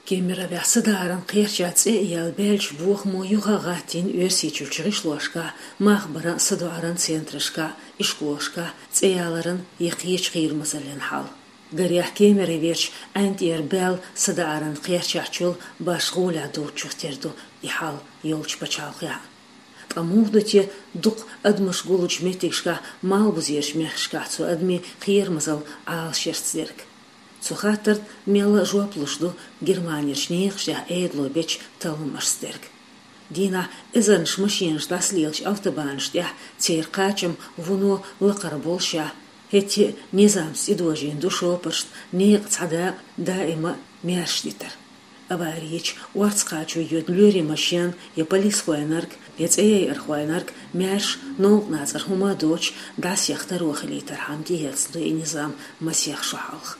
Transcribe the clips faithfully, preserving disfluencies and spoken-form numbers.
Кемеровехь садоӀаран кхерчахь цӀе а яьлла баьлча бохамо юха а гӀаттийна Оьрсийчуьрчу гӀишлошкахь, мах баран а, садоӀаран центрашкахь, ишколашкахь, цӀе яларан я кхечу кхерамазаллин хьал. Гарехь, Кемероверчу Ӏаьнтера баьлла садоӀаран кхерчахь чул башха гӀолехь доцучух тера ду и хьал йолчу пачхьалкхехь. Ткъа муха ду те дукха адамаш гуллучу меттигашкахь малхбузерчу мехкашкахь цу адамийн кхерамазалла Ӏалашъярца дерг? Цу хаттарна мелла а жоп луш ду Германерчу некъашкахь Ӏедало бечу талламашца дерг. Дийнахь эзарнаш машенаш дӀасалелачу автобанаш тӀехь церан кхачам вуно лакхара болушехь, хӀетте а низамца тӀедожийна ду шопаршна некъан цхьа дакъа даима а маьрша дитар. Авари йича, орца кхачо йоьду лоьрийн машен я полисхойнарг, я цӀеяйархойнарг маьрша, новкъа нацӀара хӀума а доцуш, дӀасаеха таро хилийтархьама тӀеэцна ду и низам масех шо хьалха.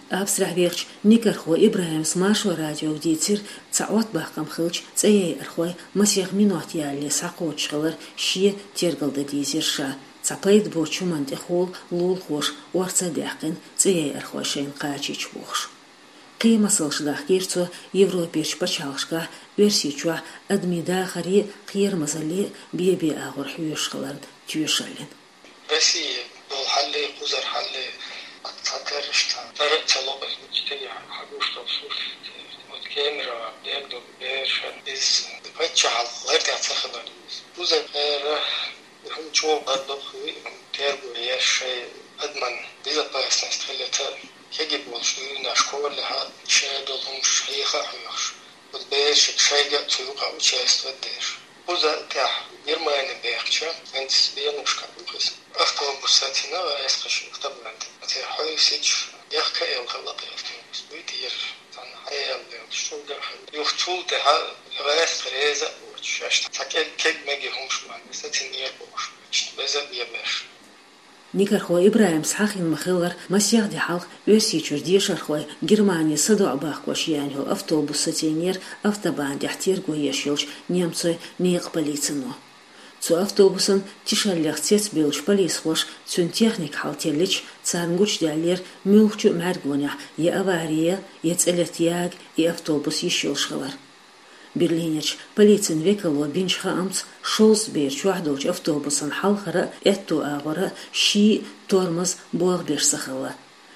Австрехь вехачу Никархо ИбрахӀимс Маршо радиога дийцира, цхьа Ӏоттабаккхам хилча, цӀеяйархой масех минот ялале схьакхочуш хилар шен тергалдан дийзира ша, цхьа пайда боцучу хӀуманна тӀехула лулахоша орца а даьккхина, цӀеяйархой шайна кхачийча бохуш. Кхин а масалш дахкийра цо Европерчу пачхьалкхашкахь Оьрсийчохь адамийн дахаре а, кхерамазалле а бен-бен агӀор хьоьжуш хиларна тоьшаллин. Россия долу хьалле, кхузара хьалле, цхьатерра цхьа тара а ца ло, иза мича тӀе хьагуш долу сурт. Вот Кемерово дерг долу бераш, иза паччахьалла лар тӀехь ца хилар иза. Кхузара хӀара хӀума чӀогӀа гӀаддохуй, терго еш шайн адаман безопасность хилита, кегий болуш дуьйна школехьа шайн долу хӀумаш хьеха а хьоьхуш, вот берашка шайга а цу юкъа участвовать деш. Кхуза тӀехь Германи бехча, хӀинца бенушка бухис. Автобус сацина, эскаш автобант. Церан хьовсича, яхка а эл хала автобус. Буй тӀера, цхьана хьаял дел, шугар хала. Юха цул тӀаьхьа гӀаьста реза а воцуш, аьшта цхьа кег-, кег-меги хӀумаш ма, сацинера бохуш, иштта беза а бебеш. Никархо ИбрахӀимс хьахийна ма-хиллара, масех де хьалха Оьрсийчуьра дешархой Германе садоӀа бахкош еана йолу автобус сацийнера автобан тӀехь терго еш йолчу немцойн некъан полицино. Цу автобусан тишаллех цецбевллачу полисхоша цуьнан техника хьалателлича, царна гучудаьллера муьлххачу а мӀаьргонехь я авари, я цӀе летта яга и автобус йиш йолуш хилар. Берлинерчу полицин векало бинчу хаамца, шовзткъа бер чохь долчу автобусан хьалхара а, аьтту агӀора а ший тормоз болх беш ца хилла.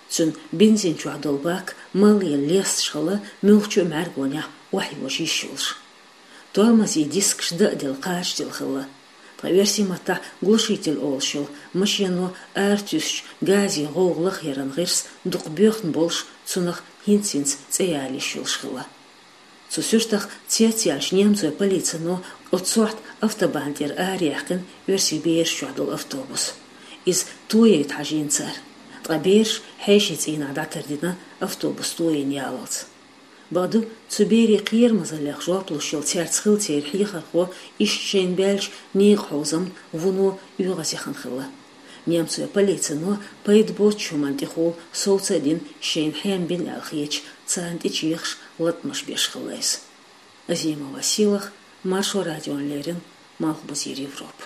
Цуьнан бензин чохь долу бак малъелла лесташ хилла, муьлххачу а мӀаьргонехь охьайожа йиш йолуш. Тормозийн дискаш дан а делла, кхачаделла хилла. Ткъа оьрсийн маттахь глушитель олуш йолу машено аратуьйсучу газийн гӀовгӀа лахъяран гӀирс дукха боьхна болуш, цунах хӀинц-хӀинца цӀе яла йиш йолуш хилла. Цу суьртах цецъяьллачу немцойн полицино оццу сохьта автобан тӀера араяьккхина оьрсийн бераш чохь долу автобус. Иза тояйта хьажийна цара. Ткъа бераш хьешийн цӀийнахь дӀатардина автобус тояйна ялалц. Бакъду, цу берийн кхерамазаллех жоп луш йолу цаьрца хилла церан хьехархо иштта шайна баьллачу некъан хьовзамна вуно оьгӀаз яхана хилла. Немцойн полицино пайда боцучу хӀуманна тӀехула совца а дина, шайна хьем бина аьлла хеташ, царна тӀечехаш латкъамаш беш хилла иза. Азимова Силах, Маршо радиона леррина, Малхбузера Европа.